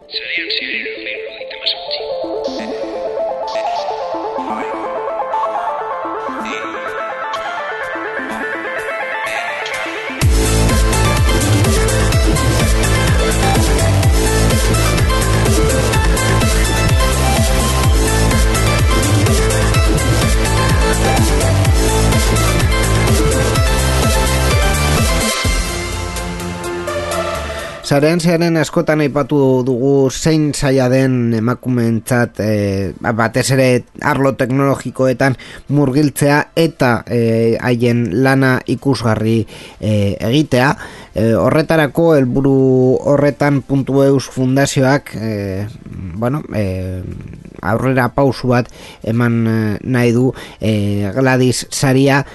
Sarean zehar 378. Sarean zearen askotan aipatu dugu zein zaila den emakumeentzat batez ere arlo teknologikoetan murgiltzea eta haien lana ikusgarri egitea. Horretarako helburu horretan .eus fundazioak aurrera pausu bat eman nahi du Gladys saria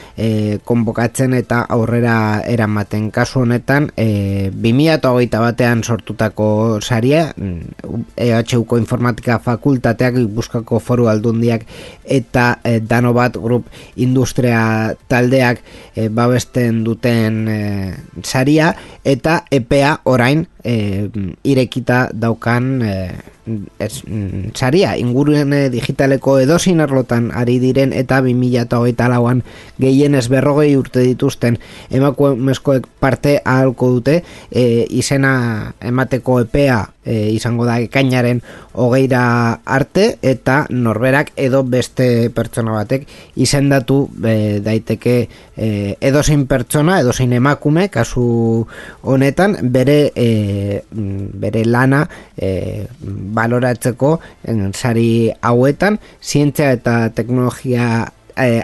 konbokatzen eta aurrera eramaten. Kasu honetan 2021 batean sortutako saria, EHUko informatika fakultateak, Gipuzkoako Foru Aldundiak eta Danobat Group industria taldeak babesten duten saria, eta epea orain irekita daukan saria. Ingurune digitaleko edozein arlotan ari diren eta 2024an gehienez 40 urte dituzten emakumezkoek parte ahalko dute. Izena emateko epea izango da ekainaren 20 arte, eta norberak edo beste pertsona batek izendatu daiteke edozein pertsona, edozein emakume, kasu honetan bere lana baloratzeko sari hauetan, zientzia eta teknologia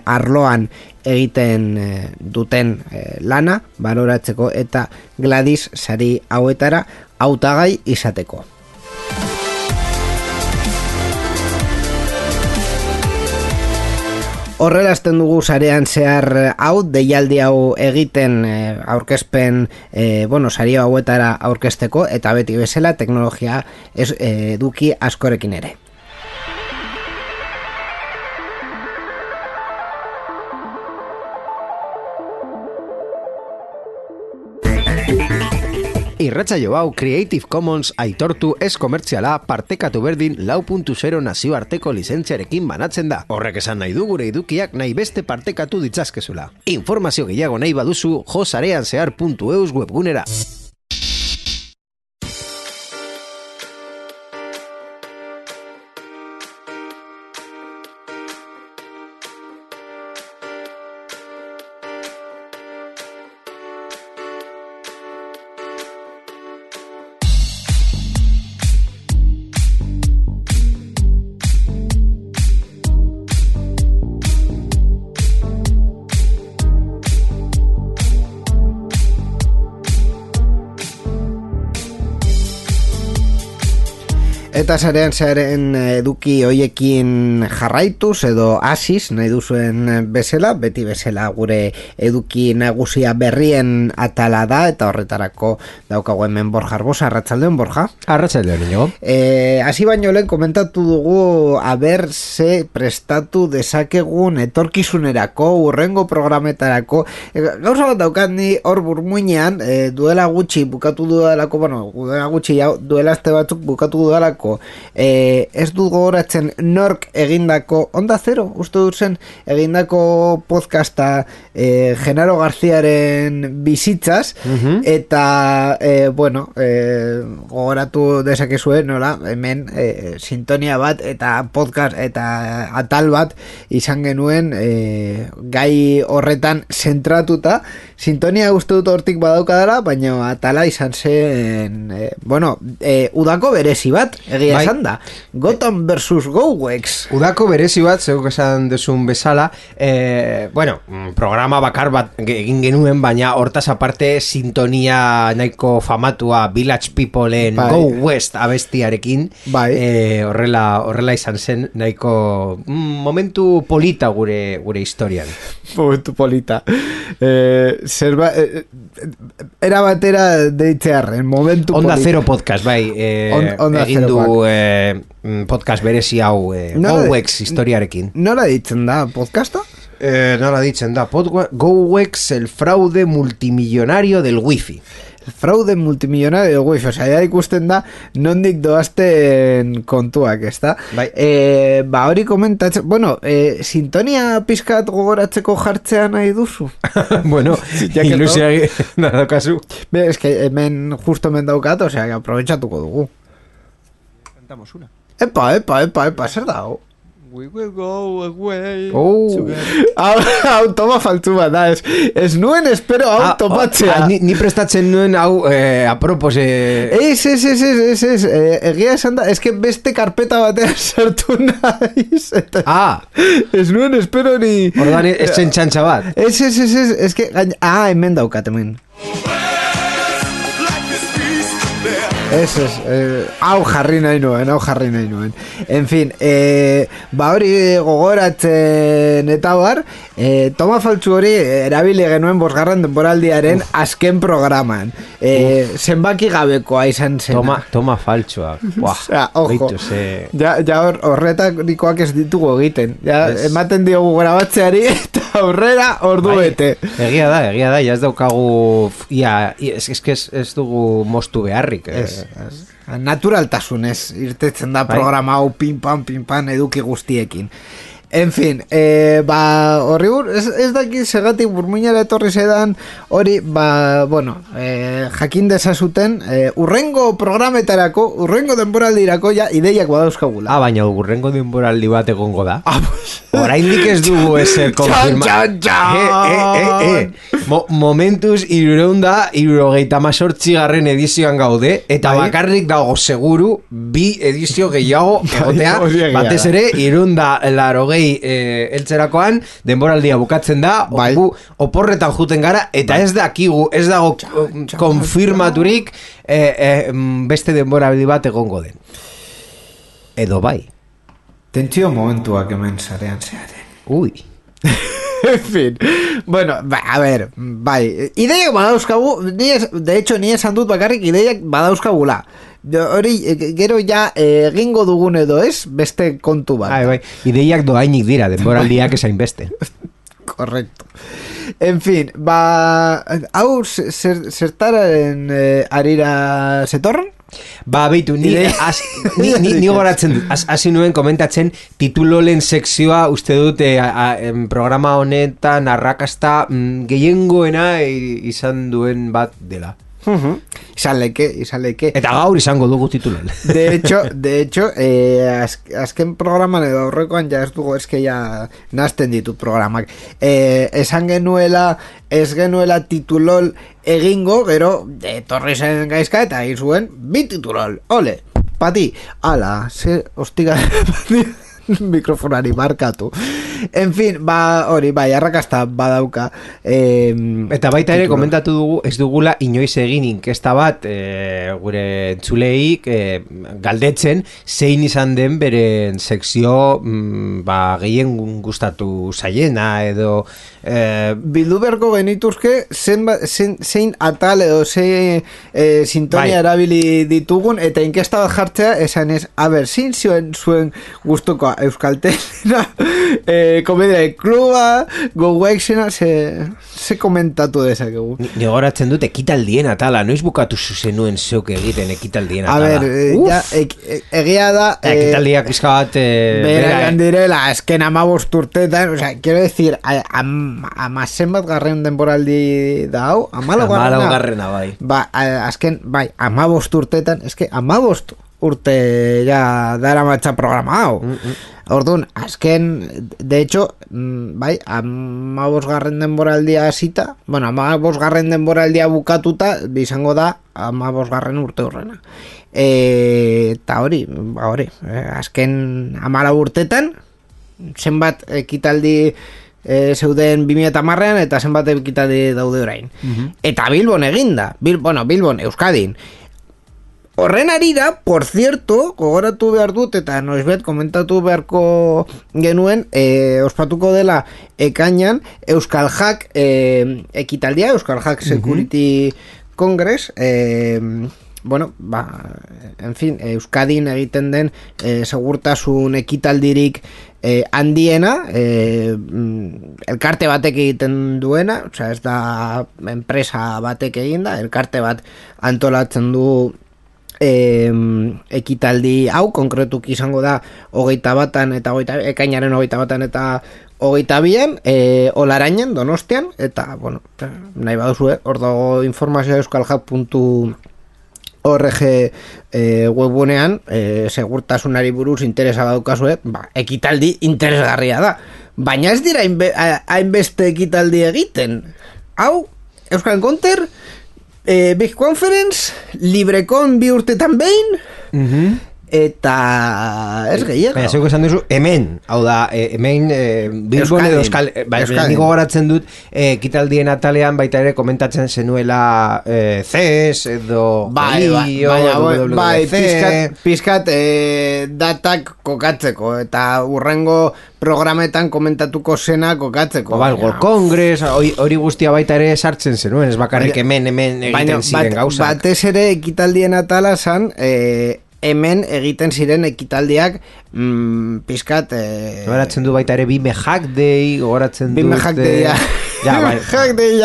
arloan egiten duten lana baloratzeko eta Gladys sari hauetara hautagai izateko. Horrela hasten dugu sarean zehar hau, deialdi hau egiten aurkezpen saria hauetara aurkezteko, eta beti bezala teknologia eduki askorekin ere. Irratsaio hau Creative Commons aitortu ez komertziala partekatu berdin 4.0 nazioarteko lizentziarekin banatzen da. Horrek esan nahi du gure edukiak nahi beste partekatu ditzazkezula. Informazio gehiago nahi baduzu josareanzehar.eus webgunera. Eta sarean zearen eduki hoiekin jarraituz edo hasiz nahi duzuen bezala, beti bezala gure eduki nagusia berrien atala da, eta horretarako daukagu hemen Borja Arbosa. Arratsaldeon, Borja. Arratsaldeon, inigo. Hasi baino lehen komentatu dugu aber ze prestatu dezakegun etorkizunerako, urrengo programetarako. Gauza bat daukat ni hor burmuinean, duela gutxi bukatu dudalako, duela aste batzuk bukatu dudalako, ez du gogoratzen nork egindako Onda Zero, uste dut zen egindako podcasta Genaro Garziaren bizitzaz, eta gogoratu dezakezue nola hemen sintonia bat eta podcast eta atal bat izan genuen gai horretan zentratuta. Sintonia uste dut hortik badaukadala, baina atala izan zen udako berezi bat, egia esan da. Gotham vs. GoWex. Udako berezi bat, zeuk esan duzun bezala, programa bakar bat egin genuen, baina hortaz aparte sintonia nahiko famatua Village Peopleen Go West abestiarekin, horrela izan zen nahiko momentu polita gure historian. Momentu polita. Era batera deitzearren, momentu Onda polita. Zero podcast, egin du podcast berezi hau GoWex historiarekin. Nola ditzen da podcasta? Nola ditzen da GoWex, el fraude multimillonario del wifi. fraude multimillonario wifi, osea, ya ikusten da nondik doazten kontuak, ezta? Bai. Ba, hori komentatzen, bueno, sintonia pizkat gogoratzeko jartzea nahi duzu? Bueno, ilusia nada kasu. Be, es que hemen justo hemen daukat, osea, que aprovechatuko dugu. Cantamos una. Epa, zer dago? We will go away. Hau toma faltzu bat da, ez nuen espero hau topatzea. Ni prestatzen nuen hau apropos. Ez, egia esan da, ez que beste karpeta batean sartu naiz. Ez nuen espero ni... Ordan ez zen txantxa bat. Ez que... hemen daukat, hemen. Hau jarri nahi nuen. En fin, ba hori gogoratzen eta bar, toma faltzu hori erabili genuen bosgarren denboraldiaren azken programan. Zenbaki gabekoa izan zen. Toma faltxoa. Ojo, ja horretarikoak ez ditugu egiten. Ematen diogu grabatzeari eta aurrera ordu bete. Egia da, ja ez daukagu, ez dugu mostu beharrik. Naturaltasunez irtetzen da programa hau pin-pan eduki guztiekin. En fin, ba, horri ez daki segatik burmuinara etorri zedan hori, ba, bueno, jakin dezazuten, urrengo programetarako, urrengo denboraldirako ja ideiak badauzkagula. Baina urrengo denboraldi bat egongo da. Oraindik ez dugu ezer konfirma. Momentuz 378 garren edizioan gaude, eta bakarrik dago seguru 2 edizio gehiago egotea, batez ere 380 eltzerakoan denboraldia bukatzen da, oporretan juten gara, eta ez dakigu, ez dago konfirmaturik beste denboraldi bat egongo den. Edo bai. Tentsio momentuak hemen zarean zearen. Ui. En fin, bueno, a ver, bai, ideiak badauzkagu, de hecho, ni esan dut bakarrik ideiak badauzkagula. Hori, gero ja egingo dugun edo ez, beste kontu bat. Bai, ideiak doainik dira, denboraldiak esain beste. Correcto. En fin, ba, hau zertararen arira zetorren? Ba, beitu, ni goratzen dut, hasi nuen komentatzen titulolen sekzioa uste dut programa honetan arrakasta gehiengoena izan duen bat dela. Izan leke. Eta gaur izango dugu titulolen. De hecho, azken programan edo aurrekoan ja ez dugu eske ja nazten ditut programak. Esan genuela, ez genuela titulol egingo, gero etorri zen gaizka eta egin zuen 2 titulol. Ole, pati, ala, hostiga pati mikrofonari markatu. En fin, ba, hori, bai, arrakasta badauka. Eta baita ere, komentatu dugu, ez dugula inoiz egin inkesta bat gure entzuleik galdetzen zein izan den beren sekzio gehien gustatu zaiena edo bildu berko genituzke zein atal edo zein sintonia erabili ditugun eta inkesta bat jartzea esan ez, zein zuen gustukoa Euskaltelena, komedia kluba, Gowexena, ze komentatu dezakegu. Ni goratzen dut ekitaldien atala, noiz bukatu zenuen zeuk egiten ekitaldien atala. A ver, egia da... Ekitaldiak izka bat... Beragan direla, esken 15 urtetan, o sea, quiero decir, amazen bat garren denboraldi da hau, 14 garrena, bai. Ba, azken, bai, 15 urtetan, eske 15 urte ja dara matxa programa hau. Orduan, azken, de hecho, bai, 15 garren denboraldia hasita, bueno, 15 garren denboraldia bukatuta, izango da 15 garren urte horrena. Eta hori, azken 14 urtetan, zenbat ekitaldi zeuden 2010an eta zenbat ekitaldi daude orain. Eta Bilbon eginda, Bilbon, Euskadin. Horren arira, por cierto, gogoratu behar dut eta noizbet komentatu beharko genuen, ospatuko dela ekainan Euskal Hack ekitaldia, Euskal Hack Security Congress, bueno, en fin, Euskadin egiten den segurtasun ekitaldirik handiena, elkarte batek egiten duena, osea, ez da enpresa batek egin da, elkarte bat antolatzen du ekitaldi hau, konkretuki izango da 21 eta ekainaren 21 eta 22 Olarainen, Donostian, eta, bueno, nahi baduzue, hor dago informazioa euskalhub.org webgunean, segurtasunari buruz interesa badukazue, ekitaldi interesgarria da. Baina ez dira hainbeste ekitaldi egiten. Hau, Euskal Encounter, Big Conference, LibreCon 2 urtetan behin, eta ez gehiago. Baina, zeuko esan duzu, hemen, hau da, hemen Bilbon edo Euskal, niko goratzen dut, ekitaldien atalean baita ere komentatzen zenuela CES edo pizkat datak kokatzeko, eta urrengo programetan komentatuko zena kokatzeko. World Congress, hori guztia baita ere sartzen zenuen, ez bakarrik hemen egiten ziren gauzak. Batez ere ekitaldien atala zan, hemen egiten ziren ekitaldiak pizkat gogoratzen du baita ere Bime Hack Day, gogoratzen dut Bime Hack Day,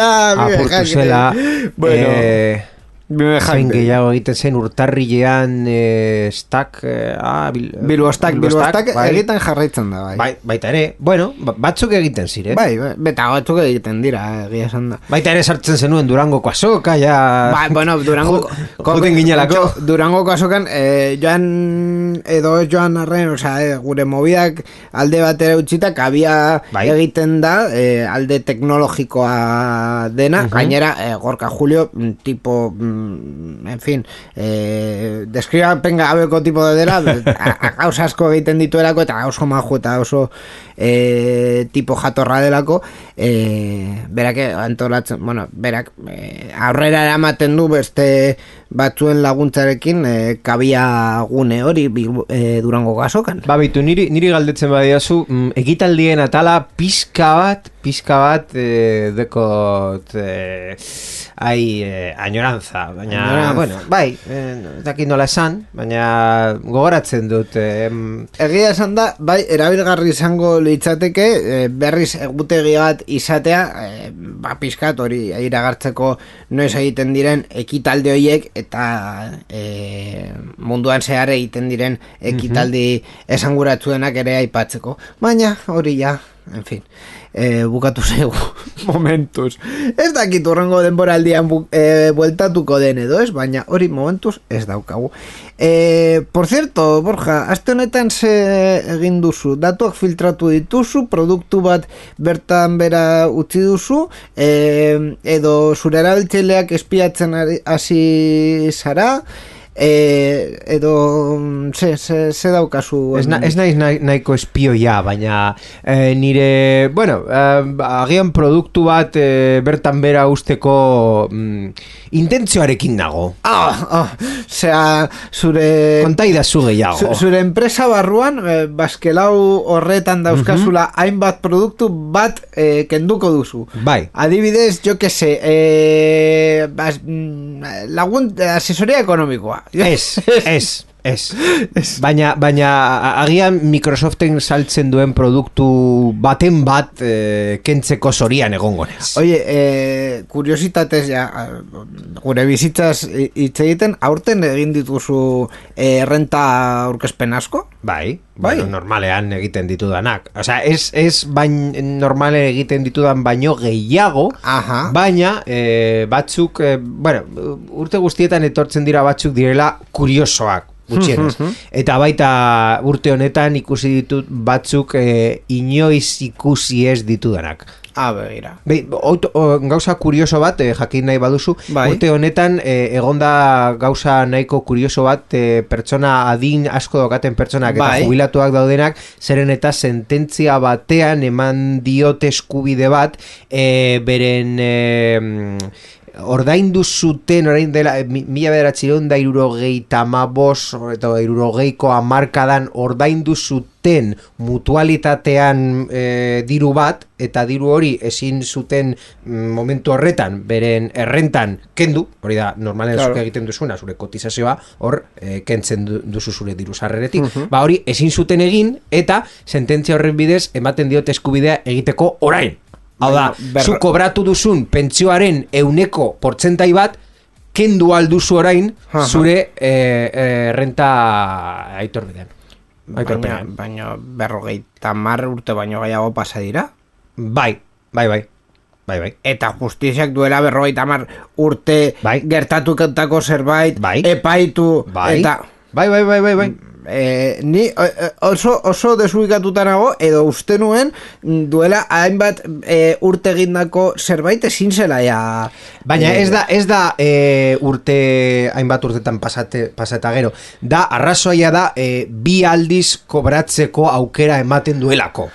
apurtu zela, zain gehiago egiten zen urtarrilean Stack Bilbo Stack egiten jarraitzen da, baita ere, bueno, batzuk egiten ziren, beta batzuk egiten dira, egia esan da, baita ere sartzen zenuen Durangoko azoka, bueno, juten ginelako, Durangoko azokan joan arren, gure mobidak alde batera utzita, kabia egiten da, alde teknologikoa dena, gainera Gorka Julio, tipo en fin, deskribapen gabeko tipo de dela, gauza asko egiten dituelako, eta oso maju eta oso tipo jatorra delako, berak antolatzen, bueno, berak aurrera eramaten du beste batzuen laguntzarekin kabia gune hori Durango gazokan. Bitu, niri galdetzen badiazu, ekitaldien atala pizka bat dekot añoranza, baina, bueno, dakit nola esan, baina gogoratzen dut. Egia esan da, erabilgarri izango litzateke, berriz egutegi bat izatea, pizkat hori iragartzeko noiz egiten diren ekitalde horiek, eta munduan zehar egiten diren ekitaldi esanguratsuenak ere aipatzeko. Baina hori ja, en fin, bukatu zegu momentuz. Ez dakit urrengo denboraldian bueltatuko den edo ez, baina hori momentuz ez daukagu. Por cierto, Borja, aste honetan ze egin duzu? Datuak filtratu dituzu, produktu bat bertan bera utzi duzu, edo zure erabiltzaileak espiatzen hasi zara, edo ze daukazu? Ez naiz nahiko espioia, baina nire, bueno, agian produktu bat bertan bera usteko intentzioarekin nago. Zure kontaidazu gehiago. Zure enpresa barruan baskelau horretan dauzkazula hainbat produktu bat kenduko duzu. Bai. Adibidez, jo que se, asesoría ekonomikoa. Ez. Baina agian Microsoften saltzen duen produktu baten bat kentzeko zorian egongonez. Oye, kuriositatez gure bizitzaz hitz egiten, aurten egin dituzu renta aurkezpen asko? Bai. Bueno, normalean egiten ditudanak. Osea, ez normale egiten ditudan baino gehiago, baina batzuk, bueno, urte guztietan etortzen dira batzuk direla kuriosoak, gutxienez. Eta baita urte honetan ikusi ditut batzuk inoiz ikusi ez ditudanak. Begira. Gauza kurioso bat, jakin nahi baduzu, urte honetan egonda gauza nahiko kurioso bat, pertsona adin asko dokaten pertsonak eta jubilatuak daudenak, zeren eta sententzia batean eman diote eskubide bat, beren ordaindu zuten orain dela 1975 eta 60ko hamarkadan ordaindu zuten mutualitatean diru bat, eta diru hori ezin zuten momentu horretan beren errentan kendu, hori da normalen zuk egiten duzuna, zure kotizazioa hor kentzen duzu zure diru sarreretik, ba hori ezin zuten egin, eta sententzia horren bidez ematen diote eskubidea egiteko orain. Hau da, zu kobratu duzun pentsioaren 100% bat kendu alduzu orain zure renta aitorbidean. Baina 50 urte baino gehiago pasa dira? Bai. Eta justiziak duela 50 urte gertatutako zerbait epaitu eta... Bai. Ni oso desubikatuta nago, edo uste nuen duela hainbat urte egindako zerbait ezin zela ja. Baina ez da urte hainbat urtetan pasata gero, da arrazoia da bi aldiz kobratzeko aukera ematen duelako.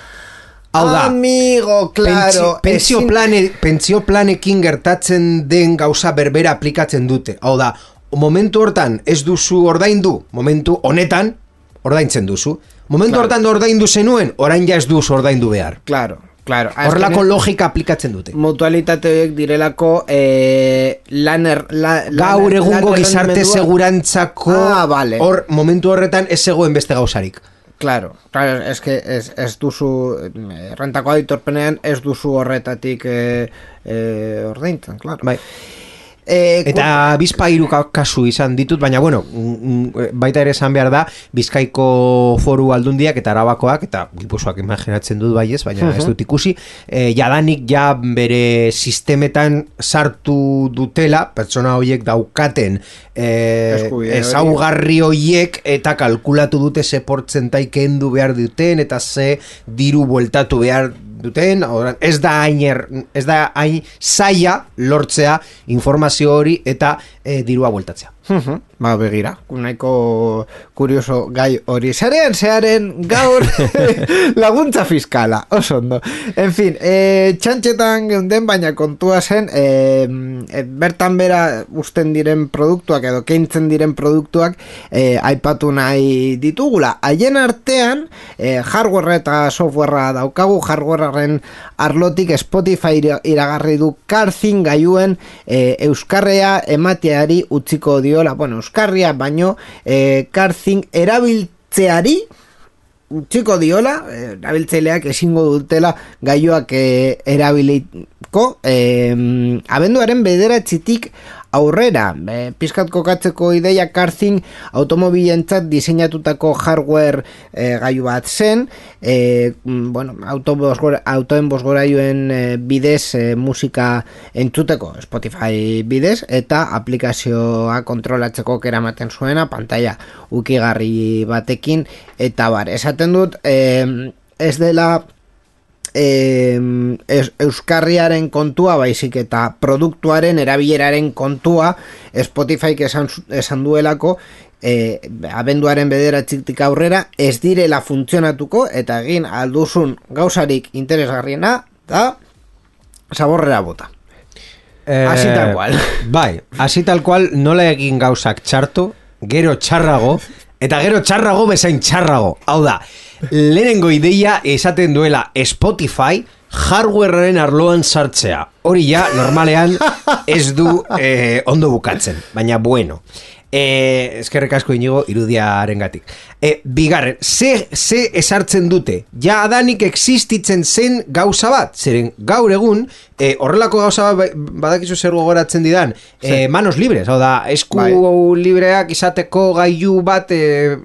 Hau da, amigo, claro, pentsio planekin gertatzen den gauza berbera aplikatzen dute. Hau da, momentu hortan ez duzu ordaindu, momentu honetan ordaintzen duzu. Momentu hortan ordaindu zenuen, orain ja ez duzu ordaindu behar. Claro. Horrelako logika aplikatzen dute. Mutualitateek direlako gaur egungo gizarte segurantzako hor momentu horretan ez zegoen beste gauzarik. Claro, es que ez duzu rentako aitorpenean ez duzu horretatik ordaintzen, claro. Bai. Eta bizpairu kasu izan ditut, baina bueno, baita ere esan behar da Bizkaiko Foru Aldundiak eta Arabakoak eta Gipuzkoak imaginatzen dut baiez, baina ez dut ikusi, jadanik ja bere sistemetan sartu dutela pertsona horiek daukaten ezaugarri horiek, eta kalkulatu dute ze portzentai kendu behar duten eta ze diru bueltatu behar duten. Ez da hain zaila lortzea informazio hori eta dirua bueltatzea. Ba, begira, nahiko kurioso gai hori. Zearen gaur laguntza fiskala, oso ondo. En fin, txantxetan geunden, baina kontua zen, bertan bera usten diren produktuak edo keintzen diren produktuak aipatu nahi ditugula. Haien artean, hardware eta softwarea daukagu. Hardwarearen arlotik Spotify iragarri du CarThing gailuen euskarrea emateari utziko dio. Bueno, euskarria baino CarThing erabiltzeari utziko diola, erabiltzaileak ezingo dutela gailuak erabiliko abenduaren 9 aurrera. Pizkat kokatzeko ideia, CarThing automobilentzat diseinatutako hardware gailu bat zen, autoen bozgorailuen bidez musika entzuteko Spotify bidez, eta aplikazioa kontrolatzeko eramaten zuena, pantalla ukigarri batekin, eta esaten dut ez dela euskarriaren kontua, baizik eta produktuaren erabileraren kontua. Spotifyk esan duelako abenduaren 9 aurrera ez direla funtzionatuko, eta egin alduzun gauzarik interesgarriena da zaborrera bota. Así tal cual. Bai, así tal cual, nola egin gauzak txarto, gero txarrago, eta gero txarrago bezain txarrago. Hau da, lehenengo ideia esaten duela Spotify hardwarearen arloan sartzea. Hori ja, normalean ez du ondo bukatzen, baina bueno. Eskerrik asko Inigo irudiarengatik. Bigarren, ze esartzen dute? Ja adanik existitzen zen gauza bat, zeren gaur egun horrelako gauza bat badakizu zer gogoratzen didan, manos libres, hau da, esku libreak izateko gailu bat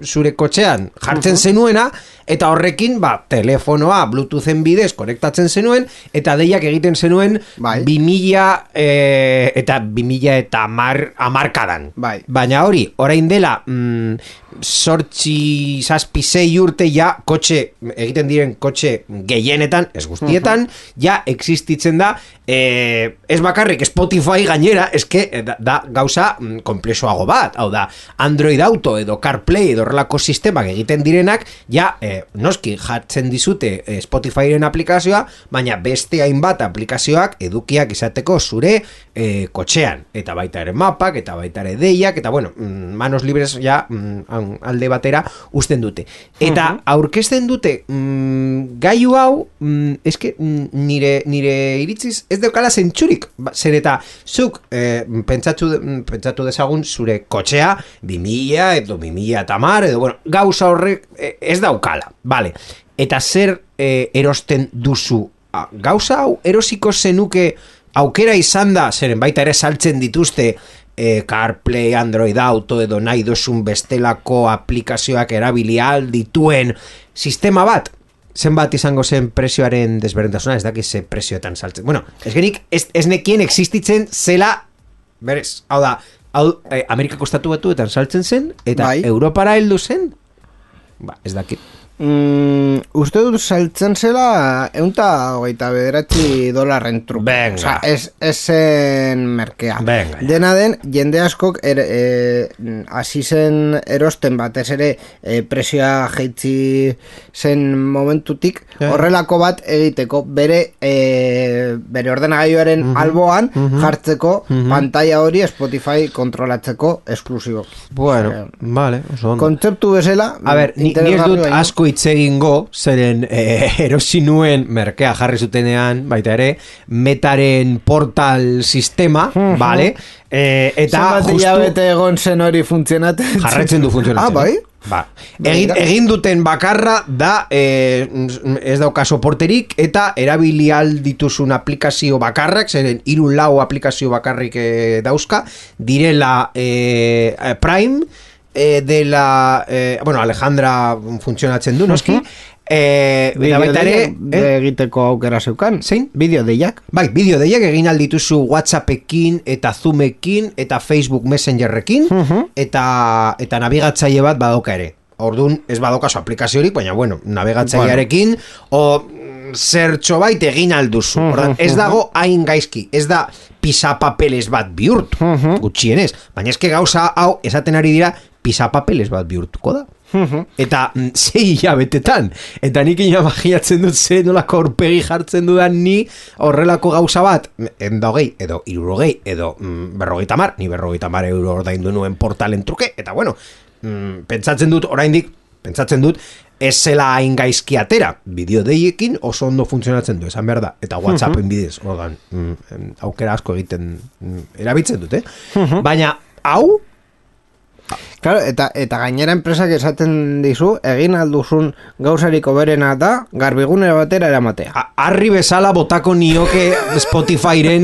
zure kotxean jartzen zenuena, eta horrekin telefonoa Bluetoothen bidez konektatzen zenuen, eta deiak egiten zenuen 2000 eta 2010 baina hori, orain dela 8-6 urte ja kotxe egiten diren kotxe gehienetan, ez guztietan, ja existitzen da ez bakarrik Spotify gainera, eske da gauza komplexoago bat, hau da, Android Auto edo CarPlay edo horrelako sistemak egiten direnak, ja, noski jartzen dizute Spotifyren aplikazioa, baina beste hainbat aplikazioak edukiak izateko zure kotxean, eta baita ere mapak, eta baita ere deiak, eta bueno, manos libres ja alde batera usten dute. Eta aurkezten dute gailu hau, eske nire iritziz ez daukala zentsurik, zer eta zuk pentsatu dezagun zure kotxea 2000 edo 2010 edo bueno, gauza horrek ez daukala, vale. Eta zer erosten duzu? Gauza hau erosiko zenuke aukera izan da, zeren baita ere saltzen dituzte CarPlay, Android Auto edo nahi dozun bestelako aplikazioak erabili dituen sistema bat, zenbat izango zen prezioaren desberdintasuna, ez dakiz ze prezioetan saltzen. Bueno, ez nekien existitzen zela, berez, hau da, Amerikako estatu batuetan saltzen zen, eta bai. Europara heldu zen, ez dakit. Uste dut saltzen zela $129 truke. Venga. Ez zen merkea. Venga. Dena den, jende askok hasi zen erosten batez ere prezioa jaitsi zen momentutik horrelako bat egiteko bere ordenagailuaren alboan jartzeko pantalla hori Spotify kontrolatzeko esklusibo. Bueno, vale, oso ondo. Kontzeptu bezala, a ber, ni ez dut asko hitz egingo, zeren erosi nuen merkea jarri zutenean, baita ere, Metaren portal sistema, vale? Eta justu bete egon zen hori funtzionatzen. Jarretzen du funtzionatzen. Bai? Ba. Egin duten bakarra da ez dauka soporterik eta erabili dituzun aplikazio bakarrak, zeren 3-4 aplikazio bakarrik dauzka, direla Prime, dela bueno, Alejandra funtzionatzen du, noski? Baita ere egiteko aukera zeukan. Zein? Bideo deiak. Bai, bideo deiak egin aldituzu WhatsAppekin eta Zoomekin eta Facebook Messengerrekin eta nabigatzaile bat badoka ere. Ordun ez badokazu aplikaziorik, baina bueno, nabigatzailearekin o zertxo bait egin alduzu. Ordan, ez dago hain gaizki, ez da pisapapeles bat bihurtu, gutxienez, baina eske gauza hau esaten ari dira pisapapeles bat bihurtuko da. Eta 6 hilabetetan, eta nik imaginatzen dut ze nolako aurpegi jartzen dudan ni horrelako gauza bat, 120 edo 60 edo 50, ni 50 euro ordaindu nuen portalen truke, eta bueno, pentsatzen dut ez zela hain gaizki atera, bideo deiekin oso ondo funtzionatzen du, esan behar da, eta WhatsAppen bidez, ordan, aukera asko egiten erabiltzen dut, baina hau, claro, eta gainera enpresak esaten dizu, egin alduzun gauzariko berena da, garbigunera batera eramatea. Harri bezala botako nioke Spotifyren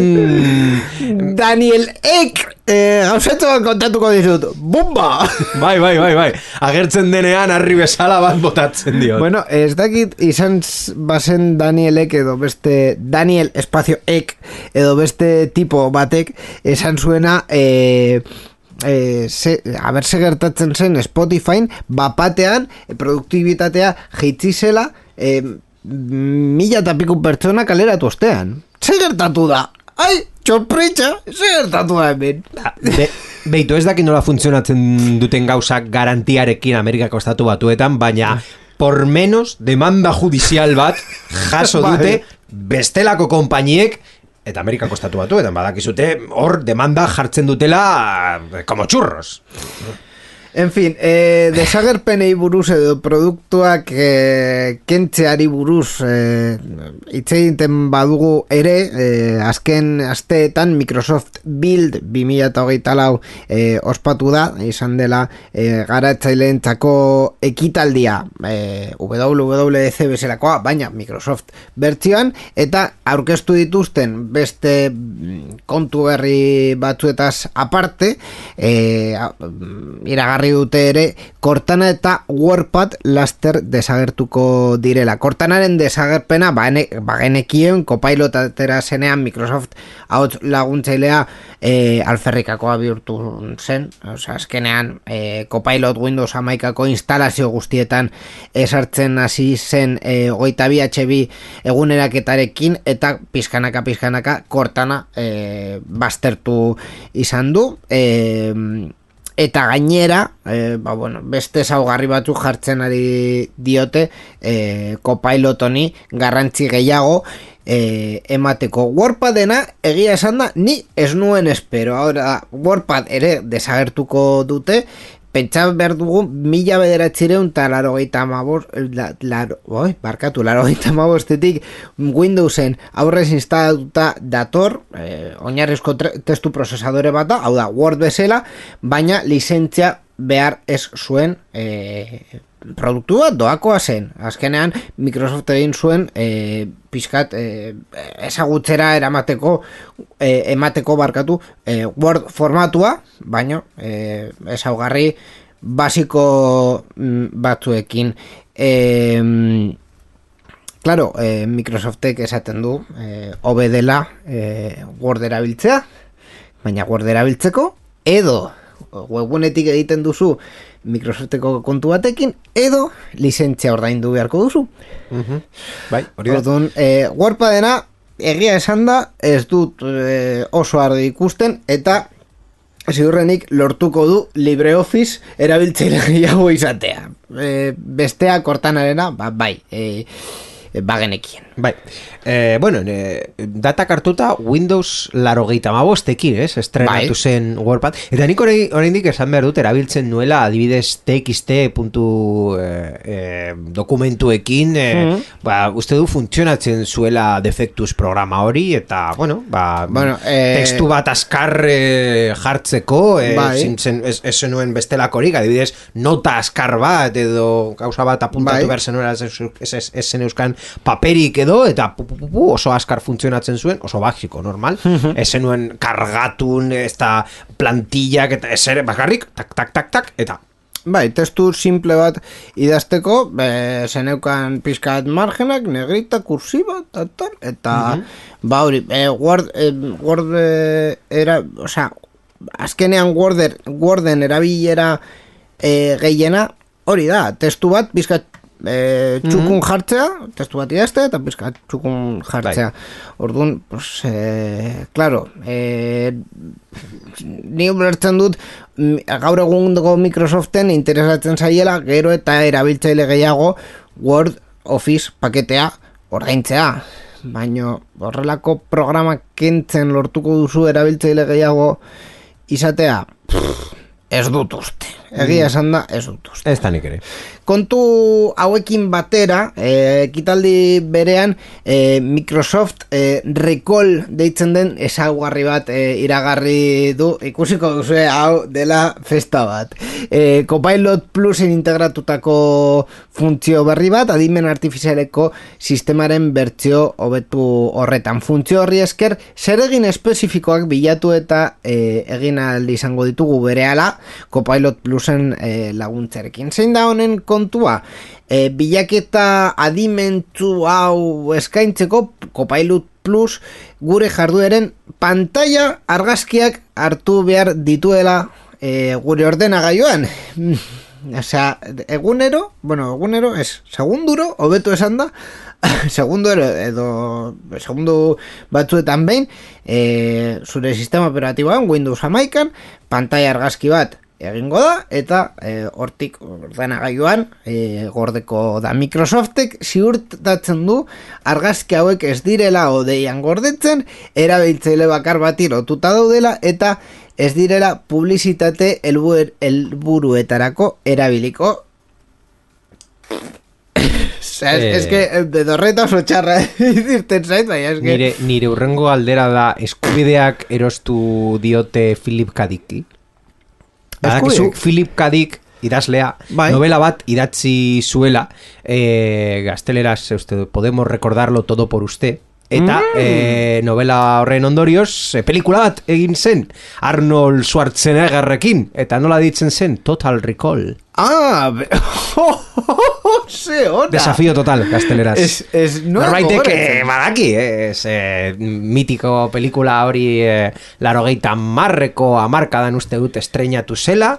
Daniel Ek gauzatu bat kontatuko dizut. Bumba! Bai. Agertzen denean harri bezala bat botatzen dio. Bueno, ez dakit izan bazen Daniel Ek edo beste Daniel espazio Ek edo beste tipo batek esan zuena a ber se gertatzen zen Spotifyn bapatean produktibitatea jaitsi zela 1000 eta piku pertsona kaleratu ostean. Ze gertatu da? Ai, txorpritxa, ze gertatu da hemen. Beitu, ez daki nola funtzionatzen duten gauzak garantiarekin Amerikako estatu batuetan, baina por menos demanda judizial bat jaso dute bestelako konpainiek eta Amerikako estatu batuetan, badakizute hor demanda jartzen dutela como churros. En fin, desagerpenei buruz edo produktuak kentzeari buruz hitz egiten badugu ere, azken asteetan Microsoft Build 2024 ospatu da, izan dela garatzaileentzako ekitaldia WWDC bezalakoa, baina Microsoft bertsioan, eta aurkeztu dituzten beste kontu berri batzuetaz aparte, iragarri iragarri dute ere Cortana eta WordPad laster desagertuko direla. Cortanaren desagerpena bagenekien Copilot atera zenean Microsoft ahots laguntzailea alferrikakoa bihurtu zen. Osea, azkenean Copilot Windows 11ko instalazio guztietan esartzen hasi zen 22HB eguneraketarekin eta pizkanaka Cortana baztertu izan du. Eta gainera, beste ezaugarri batzuk jartzen ari diote Copilot honi garrantzi gehiago emateko. WordPadena egia esan da ni ez nuen espero. Ahora WordPad ere desagertuko dute. Pentsa behar dugu 1995 Windowsen aurrez instalatuta dator, oinarrizko testu prozesadore bat da, hau da Word bezala, baina lizentzia behar ez zuen produktu bat doakoa zen. Azkenean Microsoft egin zuen pixkat ezagutzera emateko Word formatua, baina ezaugarri basiko batzuekin. Claro, Microsoftek esaten du hobe dela Word erabiltzea, baina Word erabiltzeko edo webunetik egiten duzu Microsofteko kontu batekin edo lizentzia ordaindu beharko duzu. Bai, hori da. Orduan, WordPadena egia esan da ez dut oso argi ikusten eta ziurrenik lortuko du LibreOffice erabiltzaile gehiago izatea. Bestea Cortanarena, bai, bagenekien. Bai. Datak hartuta Windows 95ekin, estrenatu zen WordPad. Eta nik oraindik esan behar dut erabiltzen nuela adibidez TXT dokumentuekin uste du funtzionatzen zuela defectus programa hori eta tekstu bat azkar jartzeko ez zenuen bestelakorik, adibidez nota azkar bat edo gauza bat apuntatu behar zenuela ez zen euskan paperik edo eta oso azkar funtzionatzen zuen, oso basiko, normal. Ez zenuen kargatun, ez da plantillak, eta ez ere bakarrik, tak, eta bai, testu simple bat idazteko, zeneukan pizkat margenak, negrita, kursiba, eta hori, Word era, osea, azkenean Worden erabilera gehiena, hori da, testu bat pizkat txukun jartzea, testu bat idazte eta pizkat txukun jartzea. Orduan, claro, ni ulertzen dut gaur egungo Microsoften interesatzen zaiela gero eta erabiltzaile gehiago Word Office paketea ordaintzea. Baina horrelako programa kentzen lortuko duzu erabiltzaile gehiago izatea, ez dut uste. Egia esan da, ez dut uste. Ez da nik ere. Kontu hauekin batera, ekitaldi berean Microsoft Recall deitzen den ezaugarri bat iragarri du, ikusiko duzu hau dela festa bat. Copilot Plusen integratutako funtzio berri bat, adimen artifizialeko sistemaren bertsio hobetu horretan. Funtzio horri esker, zer egin espezifikoak bilatu eta egin aldi izango ditugu berehala Copilot Plusen laguntzarekin. Zein da honen kontua? Bilaketa adimentu hau eskaintzeko Copilot Plus gure jardueren pantalla argazkiak hartu behar dituela gure ordenagailuan. Osea, egunero ez, segunduro, hobeto esan da, segundu batzuetan behin, zure sistema operatiboan, Windows 11an, pantalla argazki bat egingo da, eta hortik ordenagailuan gordeko da. Microsoftek ziurtatzen du argazki hauek ez direla odeian gordetzen, erabiltzaile bakar bati lotuta daudela, eta ez direla publizitate helburuetarako erabiliko. Es que bedorreta oso txarra irten zait, baina es que... Nire urrengo aldera da eskubideak erostu diote Philip K. Dick. Badakizu Philip K. Dick idazlea, novela bat idatzi zuela, gazteleraz, podemos recordarlo todo por usted, eta novela horren ondorioz pelikula bat egin zen Arnold Schwarzeneggerrekin, eta nola ditzen zen? Total Recall. Ze hona. Desafío total, gazteleraz. No Norbaitek badaki, mitiko pelikula hori 80ko hamarkadan uste dut estreinatu zela,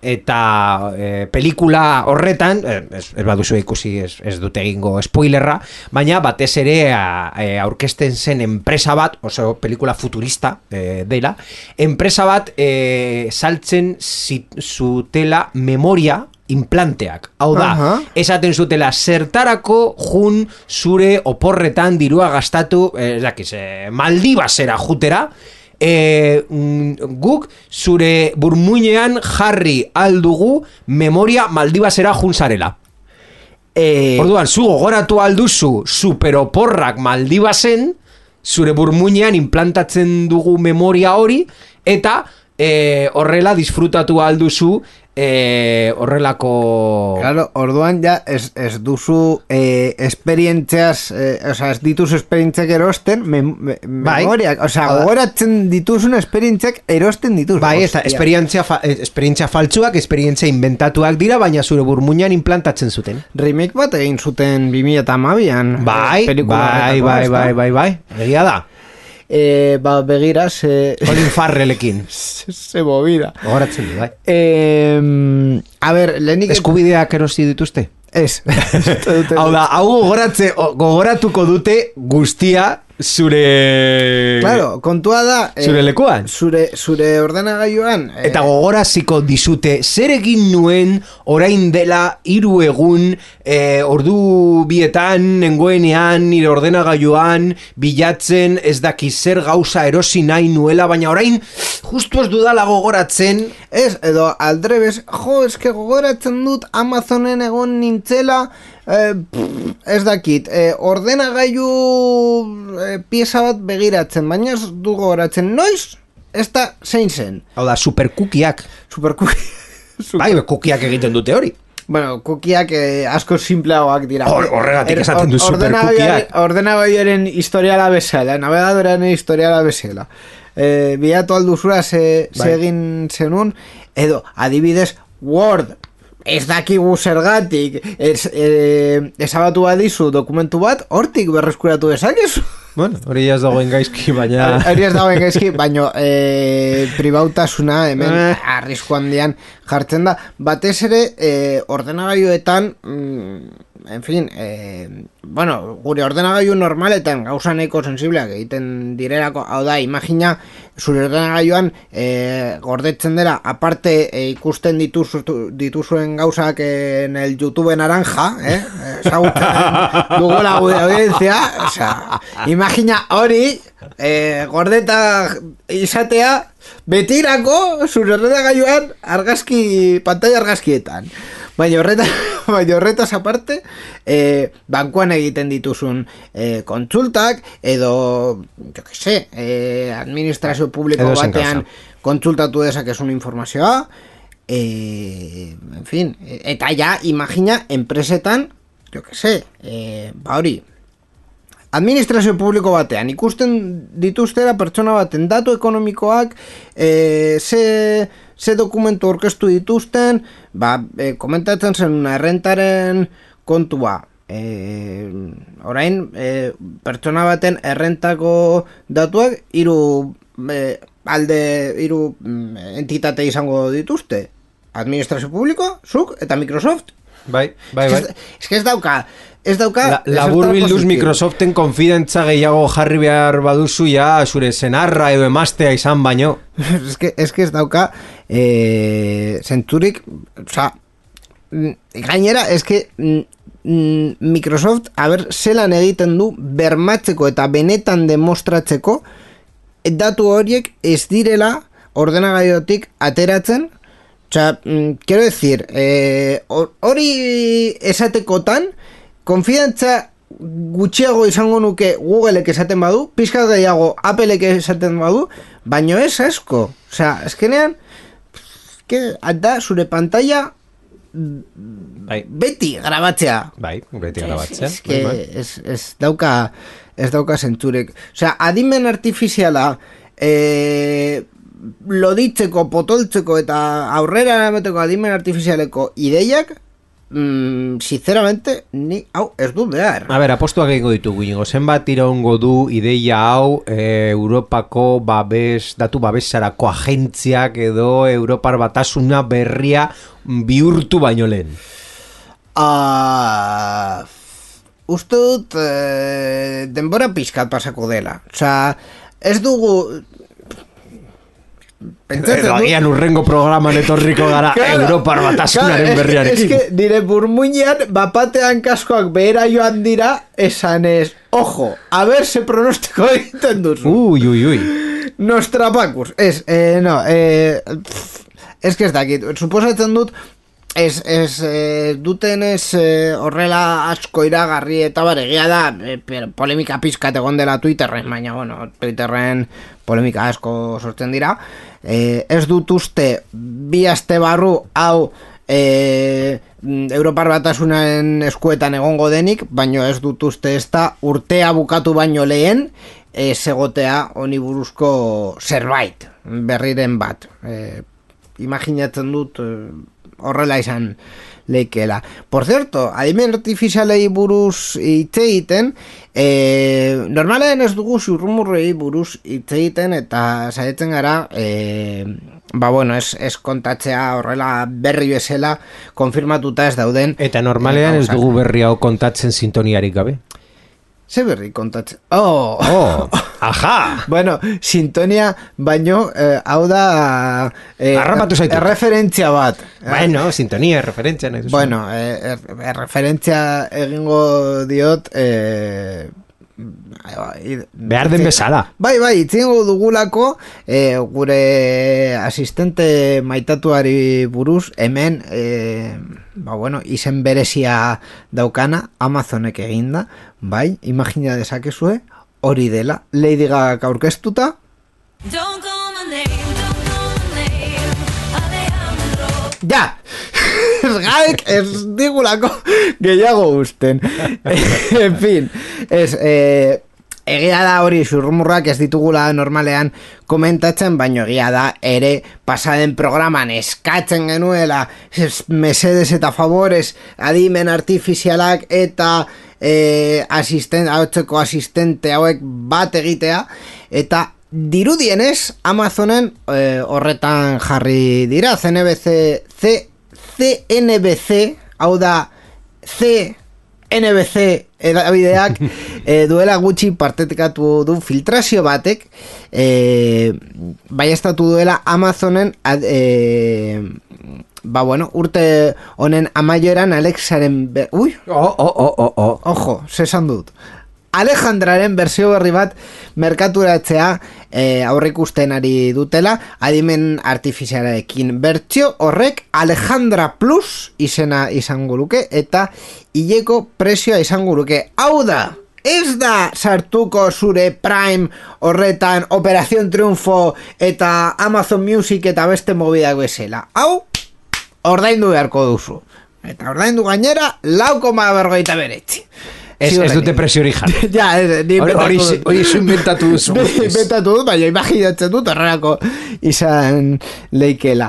eta pelikula horretan, ez baduzu ikusi, ez dute egingo spoilerra, baina batez ere aurkezten zen enpresa bat, oso pelikula futurista dela, enpresa bat saltzen zutela memoria implanteak. Hau da, esaten zutela zertarako jun zure oporretan dirua gastatu, Maldivasera jutera, guk zure burmuinean jarri aldugu memoria Maldivasera junzarela. Orduan, zu gogoratu alduzu superoporrak Maldivasen, zure burmuinean implantatzen dugu memoria hori, eta horrela disfrutatu alduzu horrelako... Claro, orduan ja ez duzu esperientziaz, ez dituzu esperientziak erosten memoriak, gogoratzen dituzun esperientziak erosten dituzu. Bai, eta esperientzia faltsuak, esperientzia inventatuak dira, baina zure burmuinan implantatzen zuten. Remake bat egin zuten 2012an. Bai, egia da. Begira, Colin Farrellekin. Se movida. Gogoratzen du, bai. A ber, lehenik... Eskubideak erosi dituzte? Ez. Hau da, hau gogoratuko dute guztia zure... Claro, kontua da... Zure lekuan. Zure ordenagailuan... Eta gogoraziko dizute, zer egin nuen orain dela 3 egun, ordu bietan, nengoenean, nire ordenagailuan, bilatzen, ez daki zer gauza erosi nahi nuela, baina orain, justu ez dudala gogoratzen... Ez, edo aldrebes, eske gogoratzen dut Amazonen egon nintzela... ez dakit, ordenagailu pieza bat begiratzen, baina ez du gogoratzen noiz, ez da zein zen. Hau da, superkukiak. Bai, kukiak egiten dute hori. Bueno, kukiak asko simpleagoak dira. Horregatik esaten du superkukiak. Ordenagailuaren historiala bezala, navegadorearen historiala bezala. Bilatu alduzura ze egin zenun, edo adibidez Word, ez dakigu zergatik, ezabatu badizu dokumentu bat, hortik berreskuratu dezakezu. Bueno, hori ez dagoen gaizki, baina... Hori ez dagoen gaizki, baina pribautasuna hemen arrisku handian jartzen da. Batez ere, ordenagailuetan, en fin, bueno, gure ordenagailu normaletan gauza nahiko sensibleak egiten direlako, hau da, imagina, zure ordenagailuan gordetzen dela, aparte ikusten dituzuen gauzak en el YouTube naranja, ezagutzen dugula gure audiencia, osea, imagina hori, gordeta izatea, betirako zure ordenagailuan pantalla argazkietan. Baina horretaz aparte, bankuan egiten dituzun kontsultak, edo, jo que sé, administrazio publiko batean kontsultatu dezakezun informazioa, en fin, eta ja, imagina, enpresetan, jo que sé, hori, administrazio publiko batean, ikusten dituztera pertsona baten datu ekonomikoak, ze dokumentu orkestu dituzten, komentatzen zen errentaren kontua. Orain, pertsona baten errentako datuak hiru entitate izango dituzte. Administrazio publiko, zuk eta Microsoft. Bai. Ez que ez dauka labur bilduz Microsoften konfidentza gehiago jarri behar baduzu ja zure senarra edo emaztea izan baino. Ez que ez dauka zentzurik, oza, gainera, ez que Microsoft, zelan egiten du bermatzeko eta benetan demostratzeko datu horiek ez direla ordenagailutik ateratzen. Osea, quiero decir, hori esatekotan, konfidantza gutxiago izango nuke Googleek esaten badu, pizkat gehiago Appleek esaten badu, baino ez asko. Osea, eskenean, da zure pantalla beti grabatzea. Bai, beti grabatzea. Ez dauka ez dauka zentsurek. Osea, adimen artifiziala loditzeko, potoltzeko eta aurrera eramateko adimen artifizialeko ideiak, sinceramente, ni hau ez dut behar. A ber, apostuak egingo ditugu, zenbat iraungo du ideia hau Europako datu babesarako agentziak edo Europar Batasuna berria bihurtu baino lehen? Uste dut denbora pixkat pasako dela. Osea, ez dugu... Edo agian urrengo programan etorriko gara Europar Batasunaren berriarekin. Ez que nire burmuinean bapatean kaskoak behera joan dira, esan ez, ojo, a ver se pronostiko egiten duzu. Ui. Nostrapacus. Ez que ez dakit, suposatzen dut, duten horrela asko iragarri eta egia da polemika pizkat egon dela Twitterren, baina bueno, Twitterren polemika asko sortzen dira. Ez dut uste bi aste barru hau Europar Batasunaren eskuetan egongo denik, baina ez dut uste ez da urtea bukatu baino lehen egotea honi buruzko zerbait berriren bat. Imaginatzen dut horrela izan leikela. Por cierto, adimen artifizialei buruz hitz egiten, normalean ez dugu zurrumurrei buruz hitz egiten eta saiatzen gara, ez kontatzea horrela berri bezala konfirmatuta ez dauden. Eta normalean ez dugu berri hau kontatzen sintoniarik gabe. Ze berri kontatzen? Aja! Bueno, sintonia baino, hau da harrapatu zaitu. Erreferentzia bat. Bueno, sintonia, erreferentzia nahi duzu. Bueno, erreferentzia egingo diot behar den bezala. Bai, itzingo dugulako gure asistente maitatuari buruz hemen izen berezia daukana Amazonek eginda, bai, imagina dezakezue hori dela, Lady Gaga aurkeztuta. Ja! Gaek ez digulako gehiago usten. En fin, egia da hori zurrumurrak ez ditugula normalean komentatzen, baino egia da ere pasaden programan eskatzen genuela mesedes eta favores adimen artifizialak eta ahotzeko asistente hauek bat egitea, eta dirudienez Amazonen horretan jarri dira. CNBC, hau da CNBC edabideak duela gutxi partekatu du filtrazio batek baiestatu duela Amazonen urte honen amaieran Alexaren ojo, sesan dut Alejandraren bersio berri bat merkaturatzea aurrikusten ari dutela, adimen artifizialarekin. Bertsio horrek Alejandra Plus izena izango luke eta hileko prezioa izango luke. Hau da, ez da sartuko zure Prime horretan Operación Triunfo eta Amazon Music eta beste mobidak bezala. Hau, ordaindu beharko duzu. Eta ordaindu gainera 4,49. Ez dute presio hori jarri. Ja, hori inventatu duzu. Inventatu dut, baina imaginatzen dut horrelako izan leikela.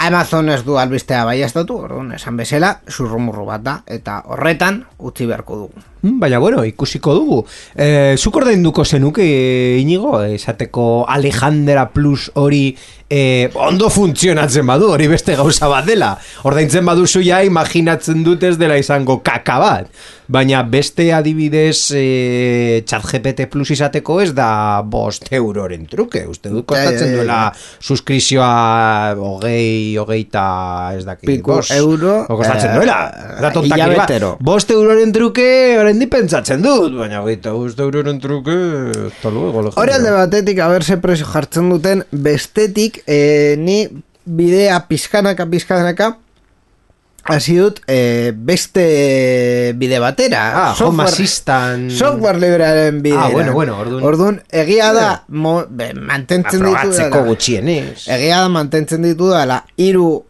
Amazon ez du albistea baiestatu, orduan esan bezala, zurrumurru bat da, eta horretan utzi beharko dugu. Baina, ikusiko dugu. Zuk ordainduko zenuke, Inigo, esateko Alejandra Plus hori ondo funtzionatzen badu, hori beste gauza bat dela. Ordaintzen baduzu ja, imaginatzen dut ez dela izango kaka bat. Baina beste adibidez ChatGPT Plus izateko ez da 5 euroren truke. Uste dut kostatzen duela suskrizioa 20 ez dakit. Pico euro. Kostatzen duela. Da tontakiri bat. 5 euroren truke oraindik pentsatzen dut. Baina 5 euroren truke hori alde batetik haberse presio jartzen duten, bestetik ni bidea pizkanaka hasi dut beste bide batera. Home Assistant. Software librearen bidea. Orduan, egia da mantentzen ditu dela. Probatzeko gutxienez. Egia da mantentzen ditu dela 3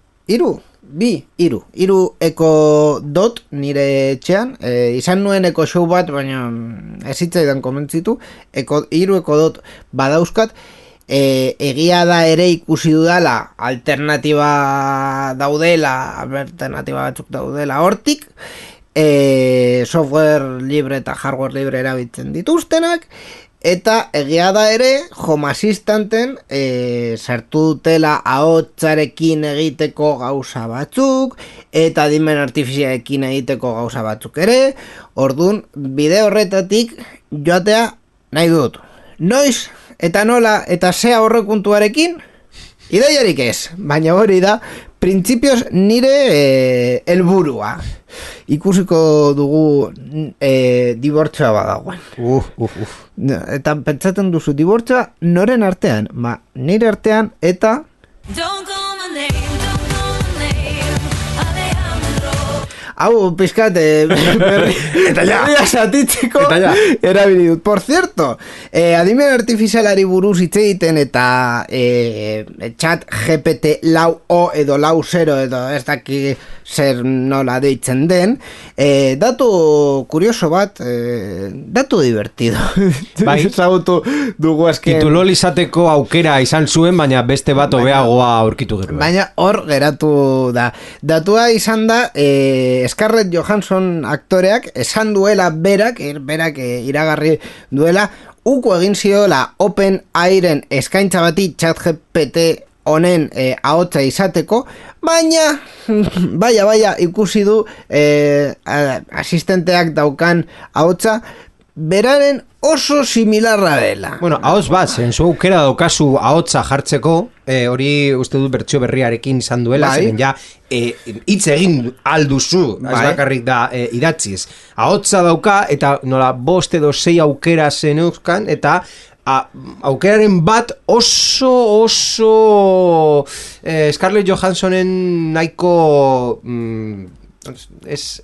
Hiru eko dot nire etxean, izan nuen eko show bat, baina ez hitzaidan komentzitu, hiru eko dot badauzkat, egia da ere ikusi dudala alternatiba batzuk daudela hortik, software libre eta hardware libre erabiltzen dituztenak, eta egia da ere Home Assistanten sartu dutela ahotsarekin egiteko gauza batzuk eta adimen artifizialekin egiteko gauza batzuk ere. Ordun bide horretatik joatea nahi dut. Noiz eta nola eta ze aurrekontuarekin ideiarik ez, baina hori da printzipioz nire helburua. Ikusiko dugu dibortzioa badagoen. Eta pentsatzen duzu dibortzioa noren artean? Nire artean eta hau pizkat berria satitzeko erabili dut. Por cierto, adimen artifizialari buruz hitz egiten eta chat GPT lau o edo lau 0 edo ez daki zer nola deitzen den, datu kurioso bat, datu divertido. Bai, ezagutu dugu azken titulol izateko aukera izan zuen, baina beste bat hobeagoa aurkitu gero. Baina hor geratu da. Datua izan da, Scarlett Johansson aktoreak esan duela berak iragarri duela uko egin ziola OpenAIren eskaintza bati ChatGPT honen ahotsa izateko, baina baia ikusi du asistenteak daukan ahotsa beraren oso similarra dela. Bueno, ahots bat, zenzu aukera daukazu ahotsa jartzeko, hori uste dut bertsio berriarekin izan duela, zeren ja hitz egin alduzu, ez bakarrik da idatziz. Ahotsa dauka eta nola 5 edo 6 aukera zeneuzkan eta aukeraren bat oso Scarlett Johanssonen nahiko ez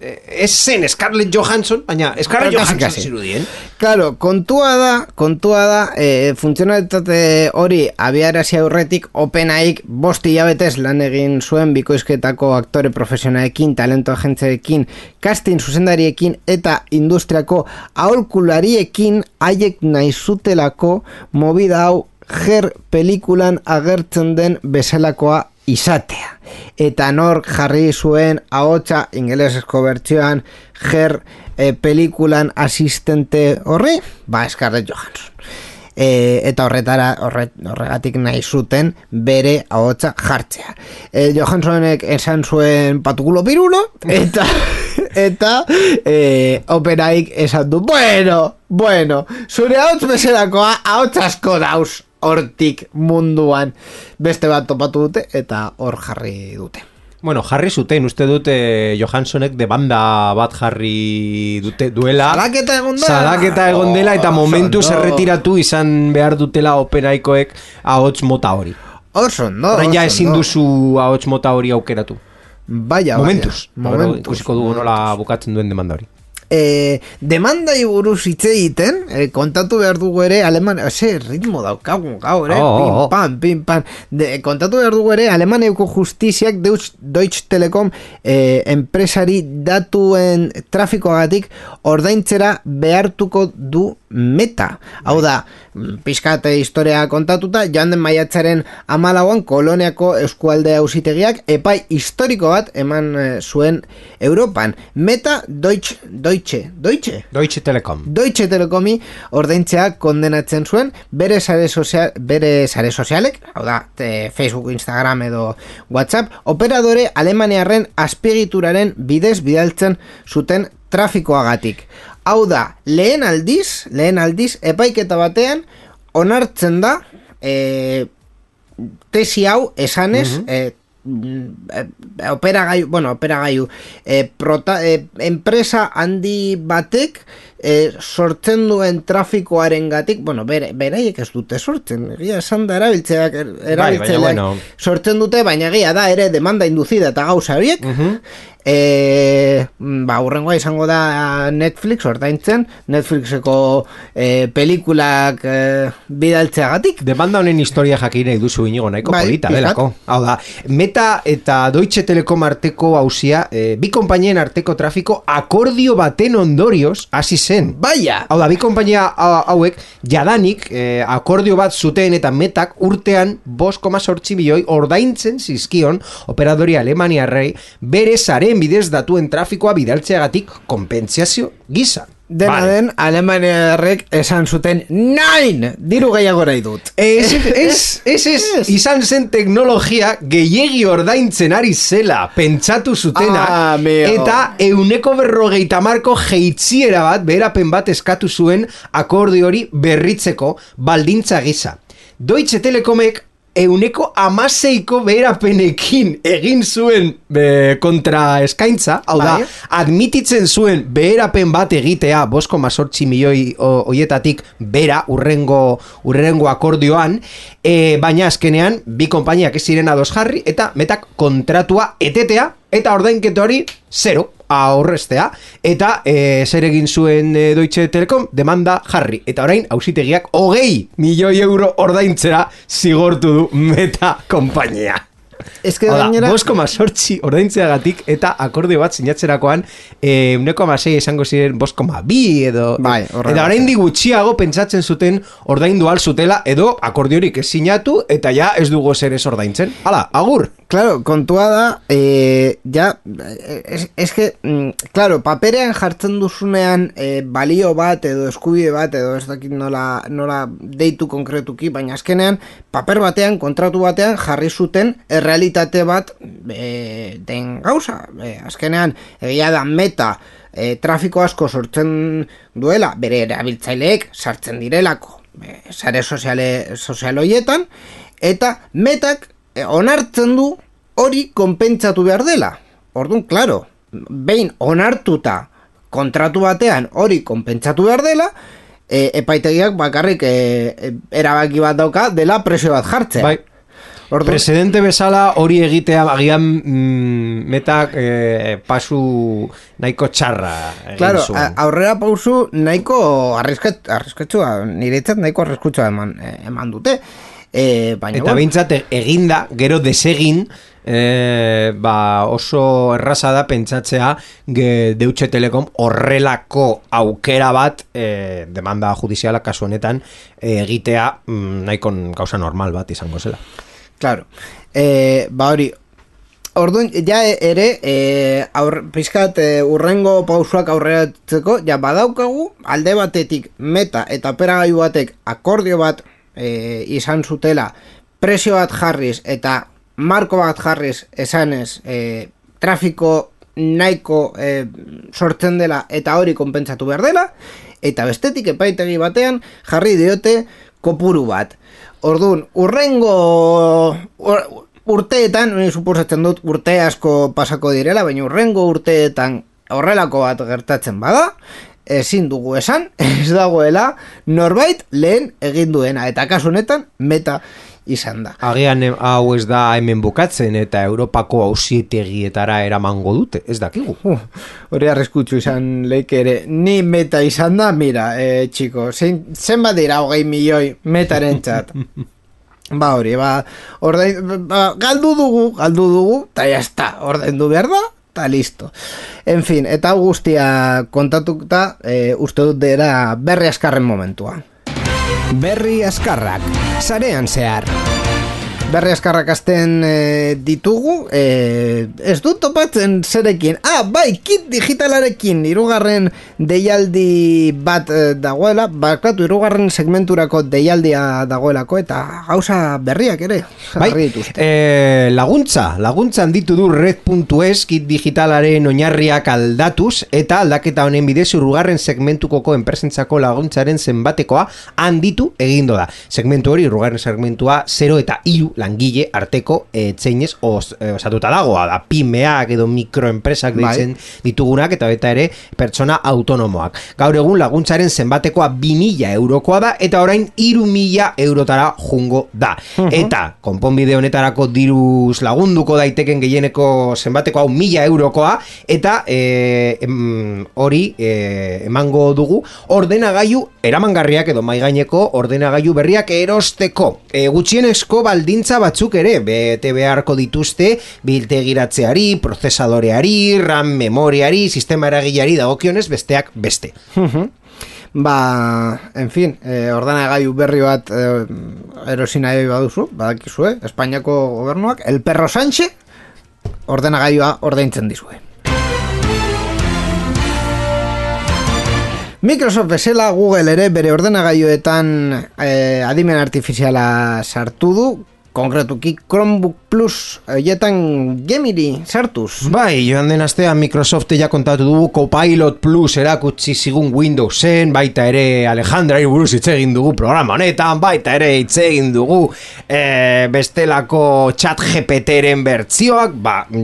zen Scarlett Johansson, baina Scarlett Johansson zirudien. Claro, kontua da funtzionalitate hori abiarazi aurretik OpenAIk 5 hilabetez lan egin zuen bikoizketako aktore profesionalekin, talento agentzeekin, casting zuzendariekin eta industriako aholkulariekin haiek nahi zutelako movida hau Her pelikulan agertzen den bezalakoa izatea. Eta nor jarri zuen ahotsa ingelesezko bertsioan Her pelikulan asistente horri? Scarlett Johansson. Eta horregatik nahi zuten bere ahotsa jartzea. Johanssonek esan zuen patukulo pirulo eta OpenAIk esan du bueno, zure ahots bezalakoa ahots asko dauz hortik munduan, beste bat topatu dute eta hor jarri dute. Bueno, jarri zuten, uste dute Johanssonek demanda bat jarri duela. Salaketa egon dela eta momentuz erretiratu izan behar dutela OpenAIkoek ahots mota hori. Horren ja ezin duzu ahots mota hori aukeratu. Momentuz. Ikusiko dugu nola bukatzen duen demanda hori. Demandai buruz hitz egiten, kontatu behar dugu ere ritmo daukagun gaur, pim pam. Kontatu behar dugu ere Alemaneuko justiziak Deutsche Telekom enpresari datuen trafikoagatik ordaintzera behartuko du Meta. Hau da, pixkate historia kontatuta, joan den maiatzaren 14an Koloniako eskualde auzitegiak epai historiko bat eman zuen Europan. Meta Deutsche Telekomi ordaintzea kondenatzen zuen bere sare sozialek, hau da, Facebook, Instagram edo WhatsApp, operadore alemaniarren azpiegituraren bidez bidaltzen zuten trafikoagatik. Hau da, lehen aldiz epaiketa batean onartzen da tesi hau esanez operagailu enpresa handi batek sortzen duen trafikoaren gatik, bueno, beraiek ez dute sortzen, egia esan da erabiltzaileak bueno. sortzen dute, baina egia da ere demanda induzida eta gauza horiek, urrengoa izango da Netflix ordaintzen, Netflixeko pelikulak bidaltzeagatik. Demanda honen historia jakin nahi duzu inigo nahiko polita delako. Hau da, Meta eta Deutsche Telekom arteko hauzia, bi konpainien arteko trafiko akordio baten ondorioz hasi zen. Baia! Hau da, bi konpainia hauek jadanik akordio bat zuten eta Metak urtean 5,8 milioi ordaintzen zizkion operadori alemaniarrei bere zaren bidez datuen trafikoa bidaltzeagatik konpentsazio gisa. Dena den, alemaniarrek esan zuten 9! Diru gehiago nahi dut. Ez, izan zen teknologia gehiegi ordaintzen ari zela, pentsatu zutena, eta 150 jeitziera bat, beherapen bat eskatu zuen akordio hori berritzeko baldintza gisa. Deutsche Telekomek 116 beherapenekin egin zuen kontra eskaintza, hau da, admititzen zuen beherapen bat egitea 5,8 milioi hoietatik bera urrengo akordioan, baina azkenean bi konpainiak ez ziren ados jarri eta Metak kontratua etetea eta ordainketo hori 0 aurrestea, eta zer egin zuen Deutsche Telekom demanda jarri, eta orain auzitegiak 20 milioi euro ordaintzera zigortu du Meta konpainia. Gainera 5,8 ordaintzeagatik eta akordio bat sinatzerakoan 1,6 izango ziren 5,2 edo eta orain gutxiago pentsatzen zuten ordaindu al zutela edo akordiorik ez sinatu eta ja ez dugu zer ez ordaintzen. Hala, agur! Claro, kontua da, claro, paperean jartzen duzunean balio bat edo eskubide bat edo ez dakit nola deitu konkretuki, baina azkenean paper batean, kontratu batean jarri zuten errealitate bat den gauza. Azkenean, egia da Meta trafiko asko sortzen duela, bere erabiltzaileek sartzen direlako sare sozial horietan, eta Metak onartzen du hori konpentsatu behar dela. Orduan, claro, behin onartuta kontratu batean hori konpentsatu behar dela, epaitegiak bakarrik erabaki bat dauka dela presio bat jartzea. Bai. Orduan, presidente bezala hori egitea agian Metak pasu nahiko txarra egin zuen. Aurrera pausu nahiko arrisketsua, niretzat nahiko arriskutsua eman dute. Baina eta behintzat eginda, gero desegin oso erraza da pentsatzea Deutsche Telekom horrelako aukera bat demanda judiziala kasu honetan egitea nahiko gauza normal bat izango zela. Claro, hori orduan, ja ere pizkat urrengo pausuak aurreratzeko, ja badaukagu alde batetik Meta eta operagailu batek akordio bat izan zutela presio bat jarriz eta marko bat jarriz esanez trafiko nahiko sortzen dela eta hori konpentsatu behar dela, eta bestetik epaitegi batean jarri diote kopuru bat. Orduan, urrengo urteetan, suposatzen dut urte asko pasako direla, baina urrengo urteetan horrelako bat gertatzen bada, ezin dugu esan, ez dagoela norbait lehen egin duena, eta kasu honetan Meta izan da. Agian hau ez da hemen bukatzen eta Europako auzitegietara eramango dute, ez dakigu. Hori arriskutsu izan leike ere, ni Meta izan da, mira, txiko, zenbat dira 20 milioi Metaren txat. Hori, galdu dugu, eta jazta, ordaindu behar da, eta listo. En fin, eta guztia kontatuta, uste dut dira berri askarren momentua. Berri askarrak, sarean zehar. Berri askarrak azten ditugu, ez dut topatzen zerekin. Bai, kit digitalarekin, hirugarren deialdi bat dagoela, bakatu hirugarren segmenturako deialdia dagoelako, eta gauza berriak ere. Bai, laguntza handitu du red.es kit digitalaren oinarriak aldatuz, eta aldaketa honen bidez hirugarren segmentukoko enpresentzako laguntzaren zenbatekoa handitu egindo da. Segmentu hori, hirugarren segmentua 0 eta 3 langile arteko txeinez osatuta dagoa da pymeak edo mikroenpresak deitzen ditugunak eta baita ere pertsona autonomoak. Gaur egun laguntzaren zenbatekoa 2.000 eurokoa da eta orain 3.000 eurotara jungo da. Eta konponbide honetarako diruz lagunduko daiteken gehieneko zenbateko hau 1.000 eurokoa eta hori emango dugu ordenagailu eramangarriak edo maigaineko ordenagailu berriak erosteko. Gutxienezko baldintza batzuk ere bete beharko dituzte biltegiratzeari, prozesadoreari, RAM memoriari, sistema eragileari dagokionez besteak beste. En fin, ordenagailu berri bat erosi nahi baduzu, badakizue, Espainiako gobernuak, el perro Sánchez ordenagailua ordaintzen dizue. Microsoft bezala Google ere bere ordenagailuetan adimen artifiziala sartu du, konkretuki Chromebook Plus hoietan Gemini sartuz. Bai, joan den astean Microsoft ja kontatu dugu Copilot Plus erakutsi zigun Windowsen, baita ere Alejandra buruz hitz egin dugu programa honetan, baita ere hitz egin dugu bestelako ChatGPTren bertzioak,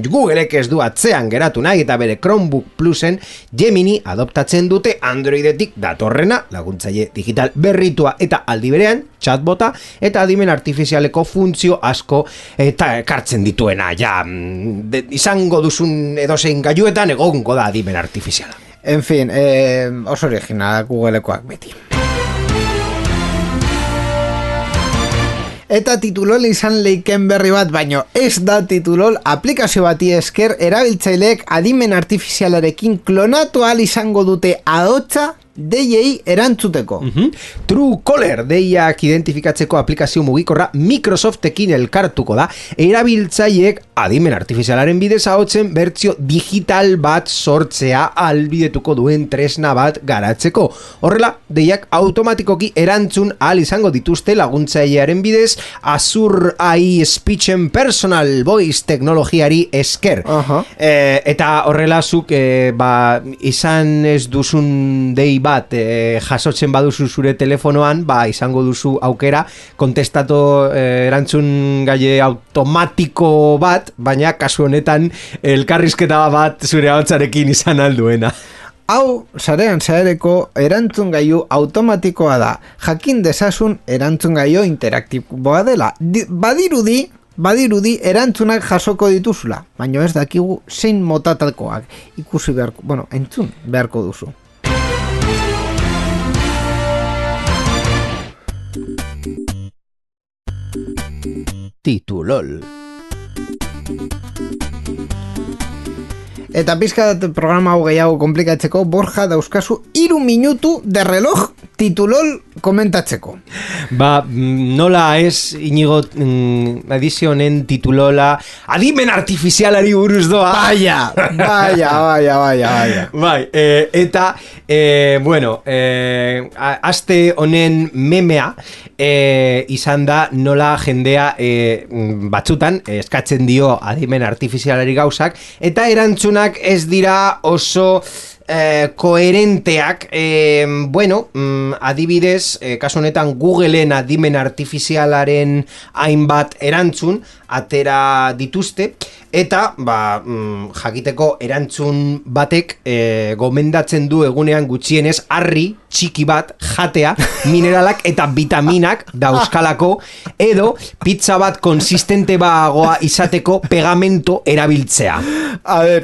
Googleek ez du atzean geratu nahi eta bere Chromebook Plusen Gemini adoptatzen dute Androidetik datorrena, laguntzaile digital berritua eta aldi berean chatbota eta adimen artifizialeko funtzio asko eta ekartzen dituena, izango duzun edozein gailuetan egongo da adimen artifiziala. En fin, oso original Googlekoak beti. Eta titulol izan leiken berri bat, baino ez da titulol aplikazio bati esker erabiltzaileek adimen artifizialarekin klonatu ahal izango dute ahotsa deiei erantzuteko. Truecaller deiak identifikatzeko aplikazio mugikorra Microsoftekin elkartuko da, erabiltzaileek adimen artifizialaren bidez ahotzen bertsio digital bat sortzea ahalbidetuko duen tresna bat garatzeko. Horrela, deiak automatikoki erantzun ahal izango dituzte laguntzailearen bidez Azure AI Speech and Personal Voice teknologiari esker. Eta horrela zuk izan ez duzun dei bat jasotzen baduzu zure telefonoan, izango duzu aukera kontestatu erantzun gaile automatiko bat, baina kasu honetan elkarrizketa bat zure ahotsarekin izan alduena. Hau, sarean zaereko erantzungailu automatikoa da. Jakin dezazun erantzungailu interaktiboa dela. Badirudi erantzunak jasoko dituzula, baina ez dakigu zein motatakoak ikusi beharko, entzun beharko duzu. Titulol. Eta pizkat programa hau gehiago komplikatzeko, Borja dauzkazu 3 minutu de reloj titulol komentatzeko. Nola ez Inigo edizionen titulola adimen artifizialari buruz doa. Baia. Eta aste honen memea izan da nola jendea batzutan eskatzen dio adimen artifizialari gauzak eta erantzunak ez dira oso koherenteak. Adibidez, kasu honetan Googleen adimen artifizialaren hainbat erantzun atera dituzte eta jakiteko erantzun batek gomendatzen du egunean gutxienez harri txiki bat jatea mineralak eta vitaminak dauzkalako edo pizza bat konsistente bagoa izateko pegamento erabiltzea.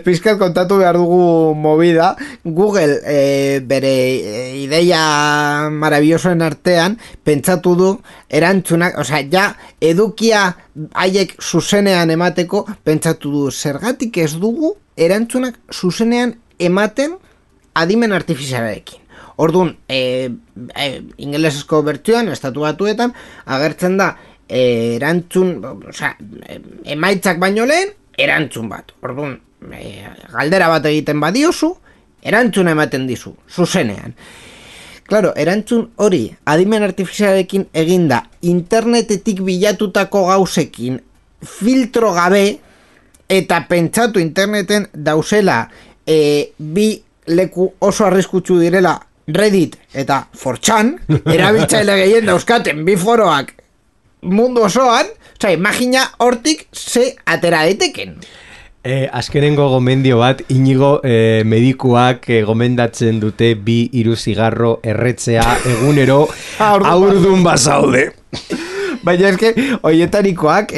Pizkat kontatu behar dugu movida. Google bere ideia maravillosoen artean pentsatu du erantzunak, edukia haiek zuzenean emateko pentsatu du zergatik ez dugu erantzunak zuzenean ematen adimen artifizialarekin. Orduan, ingelesezko bertsioan, estatu batuetan, agertzen da erantzun, emaitzak baino lehen, erantzun bat. Orduan, galdera bat egiten badiozu, erantzuna ematen dizu, zuzenean. Claro, erantzun hori adimen artifizialarekin eginda internetetik bilatutako gauzekin filtro gabe eta pentsatu interneten dauzela bi leku oso arriskutsu direla Reddit eta 4chan, erabiltzaile gehien dauzkaten bi foroak mundu osoan, Osea, imagina hortik ze atera daiteken. Azkenengo gomendio bat, Inigo medikuak gomendatzen dute 2-3 zigarro erretzea egunero aurdun bazaude. Baina eske, oietarikoak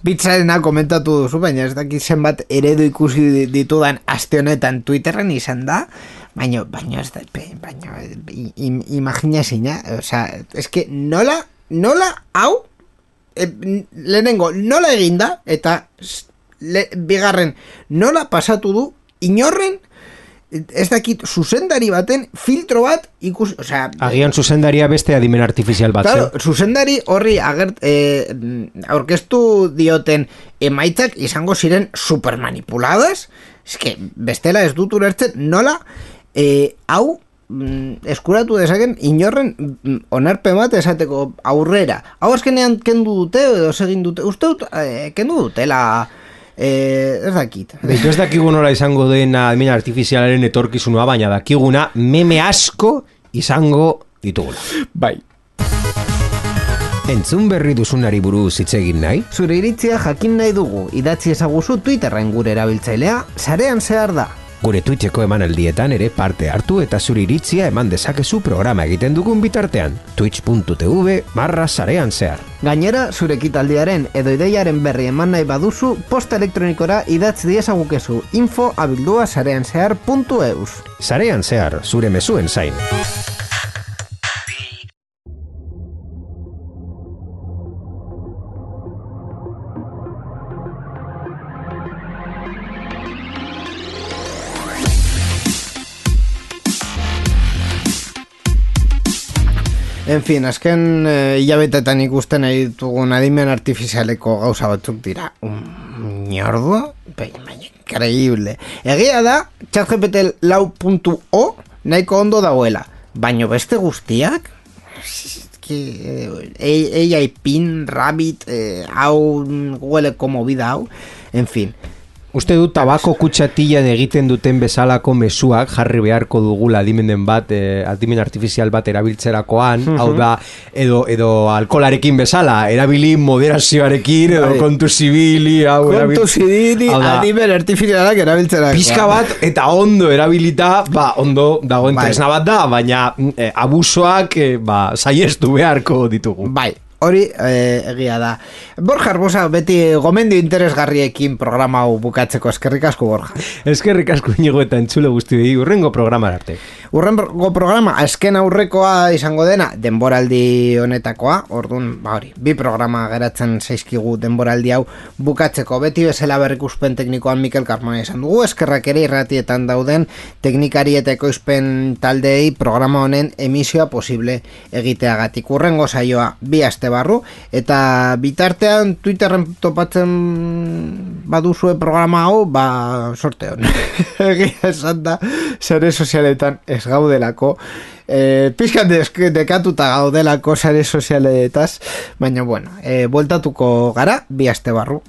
pizzarena komentatu duzu, baina ez dakit zenbat eredu ikusi ditudan aste honetan Twitterren izan da, baina ez da, imagina zina, osea, eske nola hau, lehenengo nola eginda, eta bigarren nola pasatu du inorren, ez dakit zuzendari baten filtro bat ikusi, osea, agian zuzendaria beste adimen artifizial bat. Claro, zuzendari horri aurkeztu dioten emaitzak izango ziren supermanipuladas, eske bestela ez dut ulertzen nola hau eskuratu dezaken inorren onarpen bat esateko aurrera. Hau azkenean kendu dute edo segin dute, uste dut kendu dutela. Ez dakit. Beitu ez dakigu nola izango den adimen artifizialaren etorkizunua, baina dakiguna meme asko izango ditugula. Bai. Entzun berri duzunari buruz hitz egin nahi? Zure iritzia jakin nahi dugu, idatzi ezaguzu Twitterren gure erabiltzailea, sarean zehar da. Gure Twitcheko emanaldietan ere parte hartu eta zure iritzia eman dezakezu programa egiten dugun bitartean. twitch.tv/sarean zehar. Gainera, zure ekitaldiaren edo ideiaren berri eman nahi baduzu, posta elektronikora idatz diezagukezu info@sareanzehar.eus. Sarean zehar, zure mezuen zain. En fin, azken hilabetetan ikusten nahi ditugun adimen artifizialeko gauza batzuk dira. Ñordo? Increíble. Egia da, ChatGPT 4.0 nahiko ondo dagoela. Baino beste guztiak? AI Pin, Rabbit, hau, Googleko movida hau, en fin. Uste dut tabako kutxatila egiten duten bezalako mezuak jarri beharko dugula adimenen bat, adimen artifizial bat erabiltzerakoan, hau da, edo alkolarekin bezala, erabili moderazioarekin, edo kontu zibili, adimen artifizialak erabiltzerakoan. Pizka bat eta ondo erabilita, ondo dagoen tresna bat da, baina abusoak saiestu beharko ditugu. Bai. Hori egia da. Borja Arbosa beti gomendio interesgarriekin programa hau bukatzeko. Eskerrik asko, Borja. Eskerrik asko Inigo eta entzule guztiei, urrengo programa arte. Urrengo programa, azken aurrekoa izango dena, denboraldi honetakoa, orduan, hori, 2 programa geratzen zaizkigu denboraldi hau bukatzeko. Beti bezala berrikuspen teknikoan Mikel Carmona izan dugu, eskerrak ere irratietan dauden teknikari eta ekoizpen taldeei programa honen emisioa posible egiteagatik. Urrengo saioa 2 aste barru, eta bitartean Twitterren topatzen baduzue programa hau, sorte hon. Egia esan da, sare sozialetan ez gaudelako, pixkan dekatuta gaudelako sare sozialetaz, baina bueno, bueltatuko gara 2 aste barru,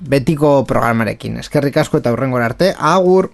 betiko programarekin. Eskerrik asko eta hurrengora arte, agur!